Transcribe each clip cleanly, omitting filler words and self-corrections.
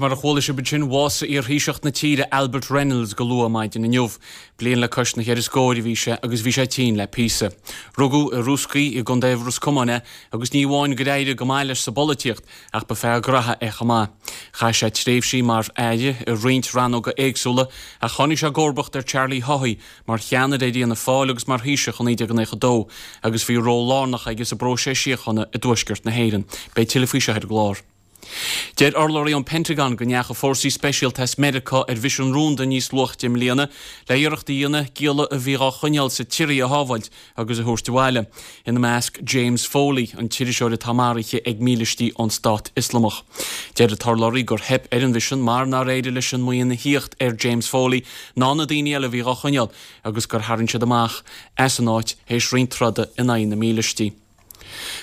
mar a chuala sibh ansin, bhásaigh iarThaoiseach na tíre Albert Reynolds go luath maidin inniu. Bliain le cois na cheithre scóir a bhí sé agus bhí sé tinn le píosa. Rugadh i Rúscaí i gContae Ros Comáin é agus ní amháin gur éirigh go maith leis sa bpolaitíocht ach ba fear graithe é chomh maith. Chaith sé tréimhsí mar aire i roinnt rannóga éagsúla ach tháinig sé i gcomharbacht ar Charlie Haughey mar cheannaire ar Fhianna Fáil agus mar Thaoiseach i 1992 agus bhí ról lárnach aige sa bpróiseas síochána i dTuaisceart na hÉireann. Beidh tuilleadh faoi seo ar an gclár. Deir urlabhraí ón Pentagon go ndeachaigh fórsaí speisialta as Meiriceá ar mhisean rúnda níos luaithe i mbliana le iarracht a dhéanamh gialla a bhí dhá choinneáil sa tSiria a shábháilt agus a thabhairt abhaile, ina measc James Foley, an t-iriseoir atá maraithe ag mílístí ón Stát Ioslamach. Deir an t-urlabhraí gur theip ar an mhisean mar nár éirigh leis an mbuíon a thíocht ar James Foley ná na daoine eile a bhí dhá choinneáil agus gur tharraing siad amach as an áit théis roinnt troda in aghaidh na mílístí.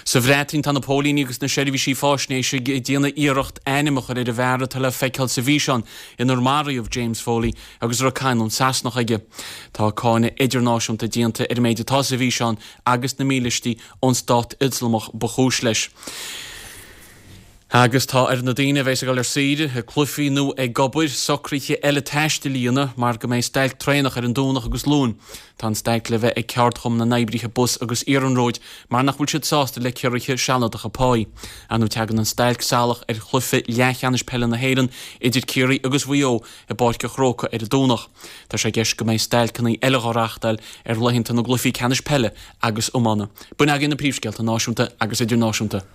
Sa Bhreatain, tá na póilíní agus na seirbhísí fáisnéise ag déanamh iarracht ainm a chur ar an bhfear atá le feiceáil sa bhfíseán inar maraíodh James Foley agus a raibh canúint Sasanach aige. Tá cáineadh idirnáisiúnta déanta ar an méid atá sa bhfíseán agus na mílístí ón Stát Ioslamach ba chúis leis. Agus tá ar na daoine a bheas ag dul ar saoire, ag cluichí nó ag obair, socruithe eile taistil a dhéanamh mar go mbeidh stailc traenach ar an Domhnach agus Luan. Tá an stailc le bheith ag Ceardchumann na nOibrithe Bus agus Iarnróid mar nach bhfuil siad sásta le ciorruithe sealadacha páí. Ar ndóigh tagann an stailc salach ar chluiche leathcheannais peile na hÉireann idir Ciarraí agus Mhaigh Eo i bPáirc an Chrócaigh ar an Domhnach. Tá sé i gceist go mbeidh stailceanna eile á reáchtáil ar laethanta na gcluichí ceannais peile agus iomána. B'in agaibh na príomhscéalta náisiúnta agus idirnáisiúnta.